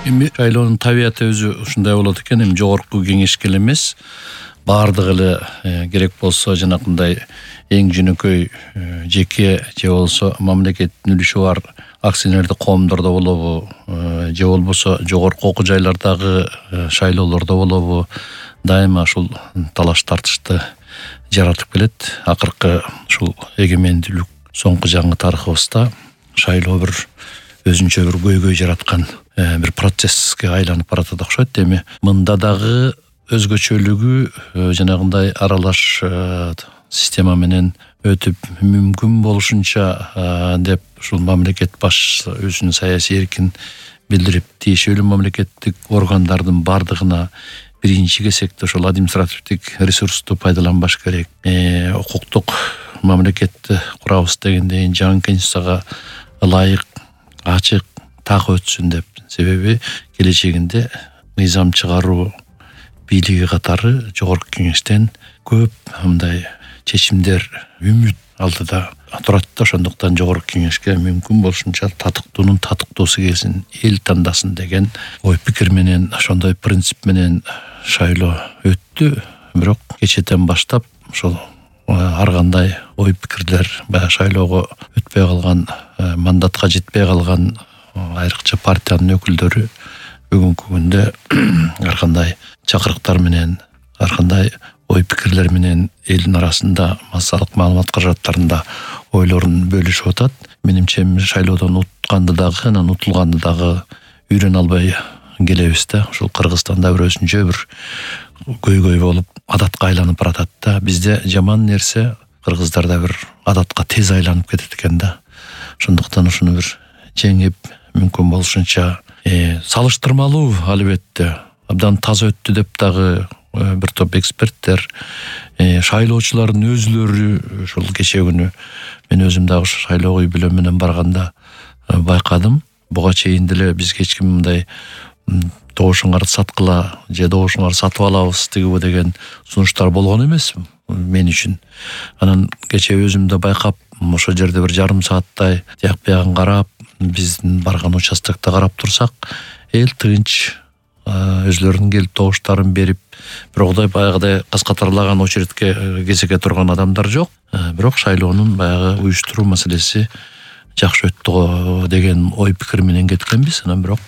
Эми шайлоонун табияты өзү ушундай болот экен. Эми жогорку кеңешке эле эмес, баардыгы эле керек болсо жанакындай эң жөнөкөй жеке же болсо мамлекеттин үлүшү бар акционердик коомдордо болобу, же болбосо жогорку окуу жайлардагы шайлоолордо болобу, дайыма ушул талаш тартышты жаратып келет. Акыркы ушул эгемендүүлүк соңку жаңы тарыхыбызда шайлоо бир өзүнчө бир көйгөй жараткан бир процесске айланып баратат окшойт. Эми мында дагы өзгөчөлүгү жанагындай аралаш система менен өтүп мүмкүн болушунча деп ушул мамлекет башчысы өзүнүн саясий эркин билдирип, тиешелүү мамлекеттик органдардын бардыгына биринчи кезекте ошол административдик ресурсту пайдаланбаш керек. Укуктук мамлекетти курабыз дегенден жаңы конституцияга ылайык, ачык так өтсүн деп. Себеби келечегинде мыйзам чыгаруу бийлиги катары жогорку кеңештен көп мындай чечимдер үмүт алдыда турат да. Ошондуктан жогорку кеңешке мүмкүн болушунча татыктуунун татыктуусу келсин, эл тандасын деген ой пикир менен, ошондой принцип менен шайлоо өттү. Бирок кечэтен баштап ошол ар кандай ой пикирлер, баягы шайлоого өтпөй калган, мандатка жетпей калган айрыкча партиянын өкүлдөрү бүгүнкү күндө ар кандай чакырыктар менен, ар кандай ой пикирлер менен элдин арасында массалык маалымат каражаттарында ойлорун бөлүшүп атат. Менимче шайлоодон утканды дагы, анан утулганды дагы үйрөнө албай келебиз да. Ушул Кыргызстанда бир өзүнчө бир көйгөй болуп адатка айланып баратат да. Бизде жаман нерсе кыргыздарда бир адатка тез айланып кетет экен да. Ошондуктан ушуну бир жеңип, мүмкүн болушунча салыштырмалуу албетте абдан таза өттү деп дагы бир топ эксперттер, шайлоочулардын өзүлөрү ушул кечээ күнү мен өзүм дагы шайлоого үй бүлөм менен барганда байкадым. Буга чейин деле бизге эч ким мындай добушуңарды саткыла же добушуңарды сатып алабыз тигиби деген сунуштар болгон эмес мен үчүн. Анан кечээ өзүм да байкап, ошол жерде бир жарым сааттай тияк биягын карап, биздин барган участокто карап турсак, эл тынч өзлөрүнүн келип добуштарын берип, бирок баягыдай каскатарлаган очередке кезеке турган адамдар жок. Бирок шайлоонун баягы уюштуруу маселеси жакшы өттү деген ой пикир менен кеткенбиз. Анан бирок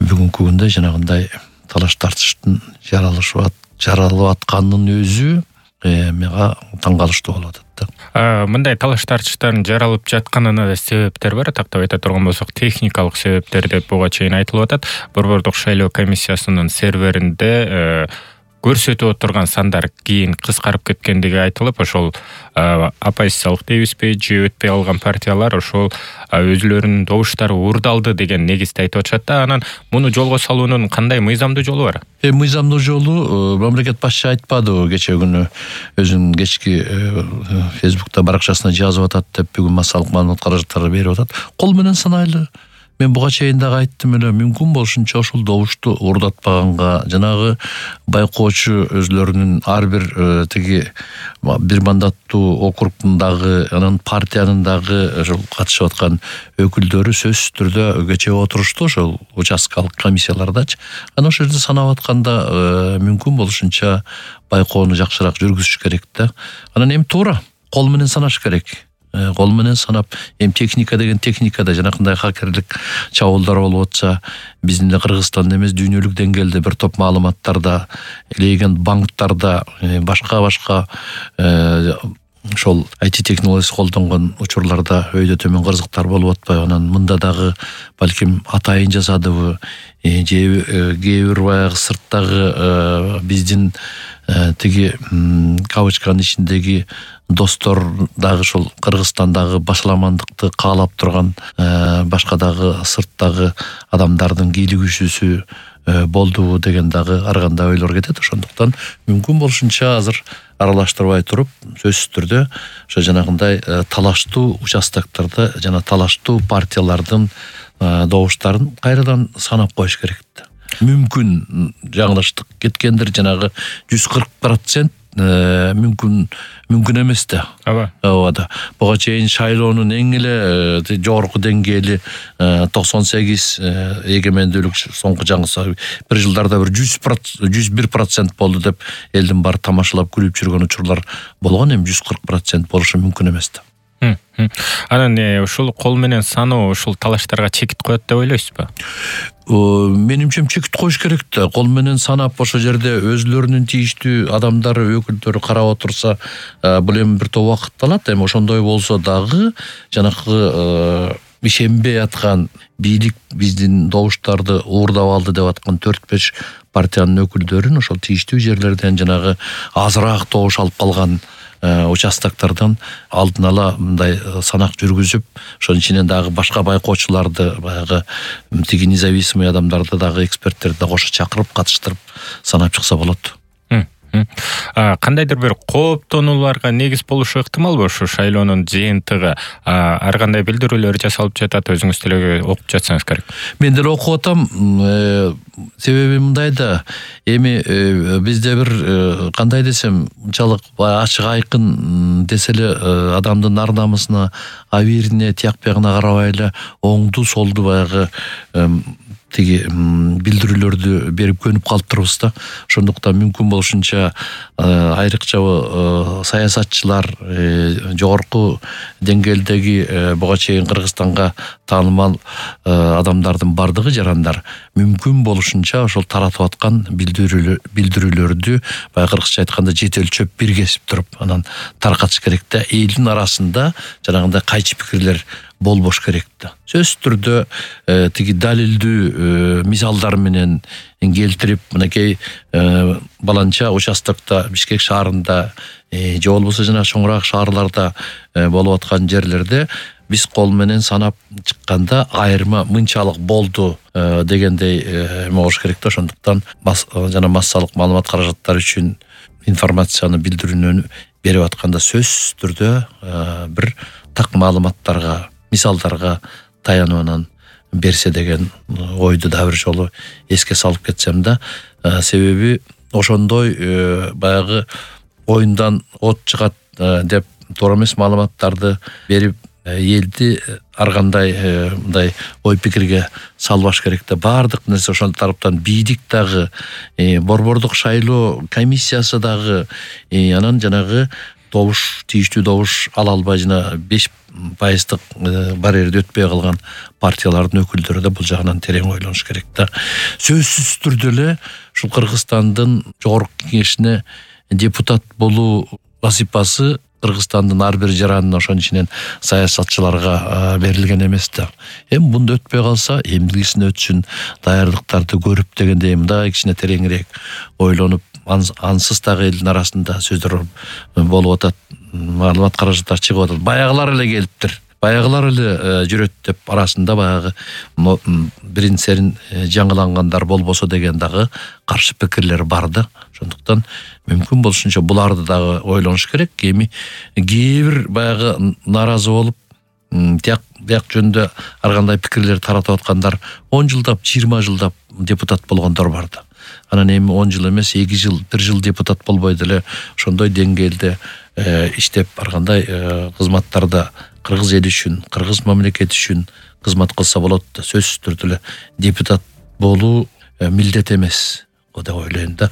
бүгүнкү күндө жанагындай талаш тартыштын жаралып атканынын өзү мага таң калыштуу болуп атат да. Мындай талаш тартыштардын жаралып жатканына да себептер бар. Тактап айта турган болсок, техникалык себептер деп буга чейин айтылып атат. Борбордук шайлоо комиссиясынын серверинде көрсөтүп отурган сандар кийин кыскарып кеткендиги айтылып, ошол оппозициялык дейбизби же өтпөй калган партиялар ошол өзүлөрүнүн добуштары уурдалды деген негизде айтып атышат да. Анан муну жолго салуунун кандай мыйзамдуу жолу бар? Мыйзамдуу жолу мамлекет башчы айтпадыбы кечээ күнү өзүнүн кечки Фейсбукта баракчасына жазып атат деп, бүгүн массалык маалымат каражаттары берип атат. Кол менен санайлы. Мен буга чейин дагы айттым эле, мүмкүн болушунча ошол добушту уурдатпаганга, жанагы байкоочу өзлөрүнүн ар бир тиги бир мандаттуу округдун дагы, анан партиянын дагы ошол катышып аткан өкүлдөрү сөзсүз түрдө кечээ отурушту ошол участкалык комиссиялардачы. Анан ошол жерде санап атканда мүмкүн болушунча байкоону жакшыраак жүргүзүш керек да. Анан эми туура кол менен санаш керек. Кол менен санап, техника деген техникада жанакындай хакерлик чабуулдар болуп атса, биздин эле Кыргызстанда эмес, дүйнөлүк деңгээлде бир топ маалыматтарда, элеген банктарда, башка ошол IT технологиясы колдонгон учурларда өйдө төмөн кырсыктар болуп атпайбы? Анан мында дагы балким атайын жасадыбы, же кээ бир баягы сырттагы биздин тиги кавычканын ичиндеги достор дагы ошол Кыргызстандагы башаламандыкты каалап турган башка дагы сырттагы адамдардын кийлигишүүсү болдубу деген дагы ар кандай ойлор кетет. Ошондуктан мүмкүн болушунча азыр аралаштырбай туруп, сөзсүз түрдө ошо жанагындай талаштуу участоктордо жана талаштуу партиялардын добуштарын кайрадан санап коюш керек. Мүмкүн жаңылыштык кеткендир, жанагы 140% мүмкүн эмес да. Ооба. Буга чейин шайлоонун эң эле жогорку деңгээли 98 эгемендүүлүк соңку жаңы бир жылдарда бир 101% болду деп элдин баары тамашалап күлүп жүргөн учурлар болгон. Эми 140% болушу мүмкүн эмес да. Анан ушул кол менен саноо ушул талаштарга чекит коет деп ойлойсузбу? Менимче чекит коюш керек да. Кол менен санап ошол жерде өзлөрүнүн тийиштүү адамдары, өкүлдөрү карап отурса, бул эми бир топ убакыт алат. Эми ошондой болсо дагы жанакы ишенбей аткан бийлик биздин добуштарды уурдап алды деп аткан 4-5 партиянын өкүлдөрүн ошол тийиштүү жерлерден жанагы азыраак добуш алып калган участоктардан алдын ала мындай санак жүргүзүп, ошонун ичинен дагы башка байкоочуларды, баягы тиги независимый адамдарды дагы эксперттерди да кошо чакырып катыштырып санап чыкса болот. Кандайдыр бир кооптонууларга негиз болушу ыктымалбы ушу шайлоонун жыйынтыгы? Ар кандай билдирүүлөр жасалып жатат, өзүңүз деле окуп жатсаңыз керек. Мен деле окуп атам. Себеби мындай да, эми бизде бир кандай десем, унчалык ачык айкын десе эле адамдын ар намысына, абийирине, тияк биягына карабай эле оңду солду баягы тиги билдирүүлөрдү берип көнүп калыптырбыз да. Ошондуктан мүмкүн болушунча айрыкча саясатчылар, жогорку деңгээлдеги буга чейин Кыргызстанга таанымал адамдардын бардыгы жарандар мүмкүн болушунча ошол таратып аткан билдирүүлөрдү баягы кыргызча айтканда жет өлчөп бир кесип туруп анан таркатыш керек да. Элдин арасында жанагындай кайчы пикирлер болбош керек да. Сөзсүз түрдө тиги далилдүү мисалдар менен келтирип, мынакей баланча участокто Бишкек шаарында же болбосо жана чоңураак шаарларда болуп аткан жерлерде биз кол менен санап чыкканда айырма мынчалык болду дегендей болуш керек да. Ошондуктан жана массалык маалымат каражаттары үчүн информацияны билдирүүнү берип атканда сөзсүз түрдө бир так маалыматтарга, мисалдарга таянуунан берсе деген ойду да бир жолу эске салып кетсем да. Себеби ошондой баягы оюндан от чыгат деп туура эмес маалыматтарды берип элди ар кандай мындай ой пикирге салбаш керек да. Баардык нерсе ошол тараптан бийлик дагы, борбордук шайлоо комиссиясы дагы, анан жанагы добуш, тийиштүү добуш ала албай жана 5% барьерди өтпөй калган партиялардын өкүлдөрү да бул жагынан терең ойлонуш керек да. Сөзсүз түрдө эле ушул Кыргызстандын жогорку кеңешине депутат болуу вазифасы Кыргызстандын ар бир жаранына, ошонун ичинен саясатчыларга берилген эмес да. Эми мунда өтпөй калса, эмдигисине өтсүн, даярдыктарды көрүп дегендей мындай кичине тереңирээк ойлонуп, ансыз дагы элдин арасында сөздөр болуп атат, маалымат каражаттары чыгып атат. Баягылар эле келиптир, баягылар эле жүрөт деп арасында баягы бирин серин жаңылангандар болбосо деген дагы каршы пикирлер бар да. Ошондуктан мүмкүн болушунча буларды дагы ойлонуш керек. Эми кээ бир баягы нааразы болуп, тияк жөнүндө ар кандай пикирлер таратып аткандар 10 жылдап, 20 жылдап депутат болгондор бар да. Анан эми 10 жыл эмес, 2 жыл, 1 жыл депутат болбой деле ошондой деңгээлде иштеп ар кандай кызматтарда кыргыз эли үчүн, кыргыз мамлекети үчүн кызмат кылса болот да. Сөзсүз түрдө эле депутат болуу милдет эмес деп ойлойм да.